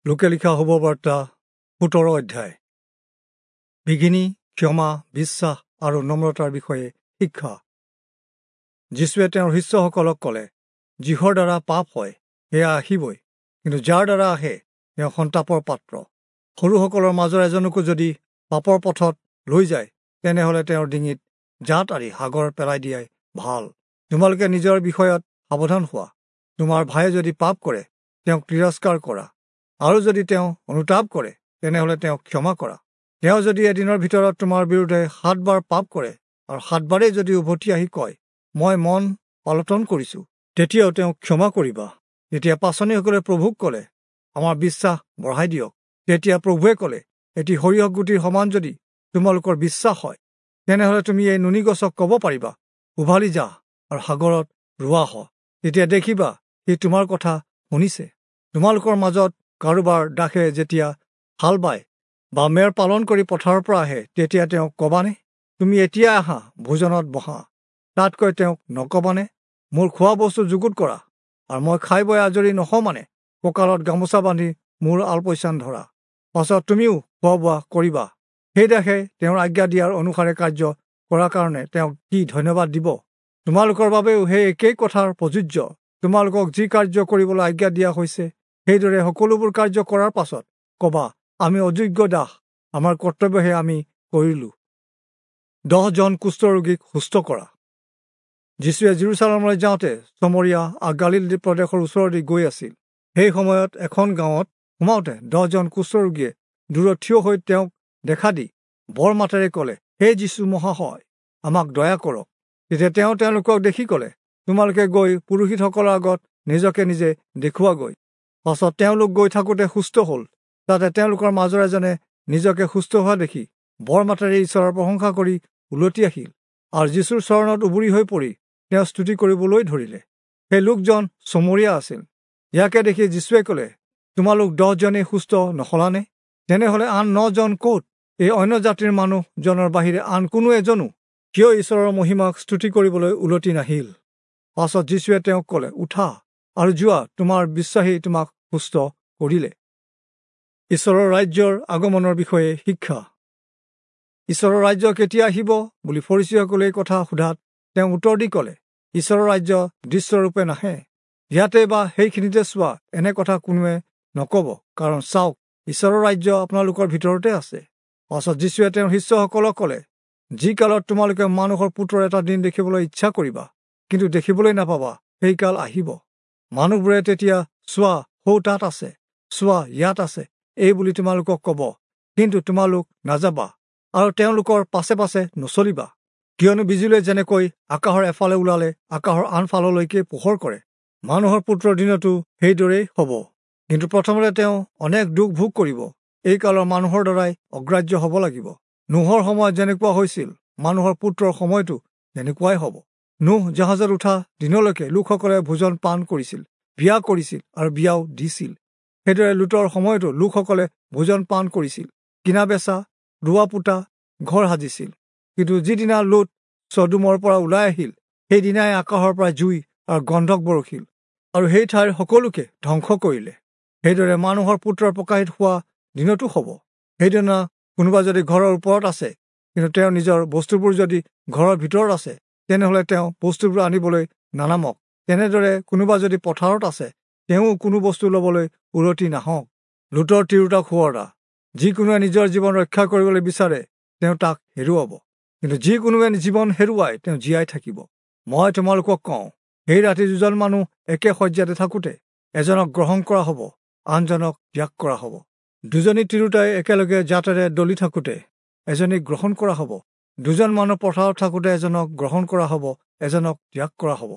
লোকে লিখা শুভবাৰ্তা 17 অধ্যায়। বিঘিনি, ক্ষমা, বিশ্বাস আৰু নম্ৰতাৰ বিষয়ে শিক্ষা। যীশুৱে তেওঁৰ শিষ্যসকলক ক'লে, যিহৰ দ্বাৰা পাপ হয় সেয়া আহিবই, কিন্তু যাৰ দ্বাৰা আহে তেওঁ সন্তাপৰ পাত্ৰ। সৰুসকলৰ মাজৰ এজনকো যদি পাপৰ পথত লৈ যায়, তেনেহ'লে তেওঁৰ ডিঙিত জাঁত আৰি সাগৰত পেলাই দিয়াই ভাল। তোমালোকে নিজৰ বিষয়ত সাৱধান হোৱা। তোমাৰ ভায়ে যদি পাপ কৰে, তেওঁক তিৰস্কাৰ কৰা, আৰু যদি তেওঁ অনুতাপ কৰে, তেনেহ'লে তেওঁক ক্ষমা কৰা। তেওঁ যদি এদিনৰ ভিতৰত তোমাৰ বিৰুদ্ধে 7 বাৰ পাপ কৰে, আৰু 7 বাৰেই যদি উভতি আহি কয়, মই মন পালটন কৰিছোঁ, তেতিয়াও তেওঁক ক্ষমা কৰিবা। তেতিয়া পাচনিসকলে প্ৰভুক ক'লে, আমাৰ বিশ্বাস বঢ়াই দিয়ক। তেতিয়া প্ৰভুৱে ক'লে, এটি সৰিয়হ গুটিৰ সমান যদি তোমালোকৰ বিশ্বাস হয়, তেনেহ'লে তুমি এই নুনি গছক ক'ব পাৰিবা, উভালি যা আৰু সাগৰত ৰোৱা হ, তেতিয়া দেখিবা সি তোমাৰ কথা শুনিছে। তোমালোকৰ মাজত কাৰোবাৰ দাসে যেতিয়া হাল বায় বা মেৰ পালন কৰি পথাৰৰ পৰা আহে, তেতিয়া তেওঁক কবানে, তুমি এতিয়া আহা, ভোজনত বহা? তাতকৈ তেওঁক নকবানে, মোৰ খোৱা বস্তু যুগুত কৰা, আৰু মই খাই বৈ আজৰি নহওঁ মানে কঁকালত গামোচা বান্ধি মোৰ আলপৈচান ধৰা, পাছত তুমিও খোৱা বোৱা কৰিবা। সেই দাসে তেওঁৰ আজ্ঞা দিয়াৰ অনুসাৰে কাৰ্য কৰাৰ কাৰণে তেওঁক কি ধন্যবাদ দিব? তোমালোকৰ বাবেও সেই একেই কথাৰ প্ৰযোজ্য। তোমালোকক যি কাৰ্য কৰিবলৈ আজ্ঞা দিয়া হৈছে, সেইদৰে সকলোবোৰ কাৰ্য কৰাৰ পাছত কবা, আমি অযোগ্য দাস, আমাৰ কৰ্তব্যহে আমি কৰিলোঁ। 10 জন কুষ্ঠৰোগীক সুস্থ কৰা। যীশুৱে জেৰুচালেমলৈ যাওঁতে চমৰীয়া আৰু গালিল প্ৰদেশৰ ওচৰেদি গৈ আছিল। সেই সময়ত এখন গাঁৱত সোমাওঁতে 10 জন কুষ্ঠৰোগীয়ে দূৰত থিয় হৈ তেওঁক দেখা দি বৰ মাতেৰে ক'লে, হে যীশু মহাশয়, আমাক দয়া কৰক। তেতিয়া তেওঁ তেওঁলোকক দেখি ক'লে, তোমালোকে গৈ পুৰোহিতসকলৰ আগত নিজকে নিজে দেখুওৱাগৈ। পাছত তেওঁলোক গৈ থাকোঁতে সুস্থ হ'ল। তাতে তেওঁলোকৰ মাজৰ এজনে নিজকে সুস্থ হোৱা দেখি বৰ মাতেৰে ঈশ্বৰৰ প্ৰশংসা কৰি উলটি আহিল আৰু যীশুৰ চৰণত উবুৰি হৈ পৰি তেওঁ স্তুতি কৰিবলৈ ধৰিলে। সেই লোকজন চমৰীয়া আছিল। ইয়াকে দেখি যীশুৱে ক'লে, তোমালোক 10 জনেই সুস্থ নহলানে? তেনেহ'লে আন 9 জন ক'ত? এই অন্য জাতিৰ মানুহজনৰ বাহিৰে আন কোনো এজনো কিয় ঈশ্বৰৰ মহিমাক স্তুতি কৰিবলৈ উলটি নাহিল? পাছত যীশুৱে তেওঁক ক'লে, উঠা আৰু যোৱা, তোমাৰ বিশ্বাসেই তোমাক সুস্থ কৰিলে। ঈশ্বৰৰ ৰাজ্যৰ আগমনৰ বিষয়ে শিক্ষা। ঈশ্বৰৰ ৰাজ্য কেতিয়া আহিব বুলি ফৰীচীসকলে এই কথা সোধাত তেওঁ উত্তৰ দি ক'লে, ঈশ্বৰৰ ৰাজ্য দৃশ্যৰূপে নাহে। ইয়াতে বা সেইখিনিতে চোৱা, এনে কথা কোনোৱে নক'ব, কাৰণ চাওক, ঈশ্বৰৰ ৰাজ্য আপোনালোকৰ ভিতৰতে আছে। পাছত যীশুৱে তেওঁৰ শিষ্যসকলক ক'লে, যি কালত তোমালোকে মানুহৰ পুত্ৰৰ এটা দিন দেখিবলৈ ইচ্ছা কৰিবা, কিন্তু দেখিবলৈ নাপাবা, সেই কাল আহিব। মানুহবোৰে তেতিয়া, চোৱা সৌ তাত আছে, চোৱা ইয়াত আছে, এই বুলি তোমালোকক ক'ব, কিন্তু তোমালোক নাযাবা আৰু তেওঁলোকৰ পাছে পাছে নচলিবা। কিয়নো বিজুলীয়ে যেনেকৈ আকাশৰ এফালে ওলালে আকাশৰ আনফাললৈকে পোহৰ কৰে, মানুহৰ পুত্ৰৰ দিনতো সেইদৰেই হ'ব। কিন্তু প্ৰথমতে তেওঁ অনেক দুখ ভোগ কৰিব, এই কালৰ মানুহৰ দ্বাৰাই অগ্ৰাহ্য হ'ব লাগিব। নোহৰ সময়ত যেনেকুৱা হৈছিল, মানুহৰ পুত্ৰৰ সময়তো তেনেকুৱাই হ'ব। নোহ জাহাজত উঠা দিনলৈকে লোকসকলে ভোজন পান কৰিছিল, বিয়া কৰিছিল আৰু বিয়াও দিছিল। সেইদৰে লোটৰ সময়তো লোকসকলে ভোজন পান কৰিছিল, কিনা বেচা, ৰোৱা পোতা, ঘৰ সাজিছিল। কিন্তু যিদিনা লোট চদোমৰ পৰা ওলাই আহিল, সেইদিনাই আকাশৰ পৰা জুই আৰু গন্ধক বৰষিল আৰু সেই ঠাইৰ সকলোকে ধ্বংস কৰিলে। সেইদৰে মানুহৰ পুত্ৰৰ প্ৰকাশিত হোৱা দিনতো হ'ব। সেইদিনা কোনোবা যদি ঘৰৰ ওপৰত আছে, কিন্তু তেওঁ নিজৰ বস্তুবোৰ যদি ঘৰৰ ভিতৰত আছে, তেনেহ'লে তেওঁ বস্তুবোৰ আনিবলৈ নানামক। তেনেদৰে কোনোবা যদি পথাৰত আছে, তেওঁ কোনো বস্তু ল'বলৈ উলটি নাহক। লোটৰ তিৰোতাক সোঁৱৰা। যিকোনোৱে নিজৰ জীৱন ৰক্ষা কৰিবলৈ বিচাৰে, তেওঁ তাক হেৰুৱাব, কিন্তু যিকোনোৱে জীৱন হেৰুৱায়, তেওঁ জীয়াই থাকিব। মই তোমালোকক কওঁ, সেই ৰাতি 2 জন মানুহ একে শয্যাতে থাকোঁতে এজনক গ্ৰহণ কৰা হ'ব, আনজনক ত্যাগ কৰা হ'ব। 2 জনী তিৰোতাই একেলগে জাঁতেৰে দলি থাকোঁতে এজনীক গ্ৰহণ কৰা হ'ব। 2 জন মানুহ পথাৰত থাকোঁতে এজনক গ্ৰহণ কৰা হ'ব, এজনক ত্যাগ কৰা হ'ব।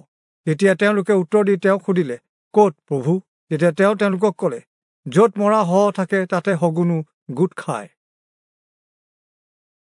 তেতিয়া তেওঁলোকে উত্তৰ দি তেওঁক সুধিলে, ক'ত প্ৰভু? তেতিয়া তেওঁ তেওঁলোকক ক'লে, য'ত মৰা শৱ থাকে, তাতে শগুনো গোট খায়।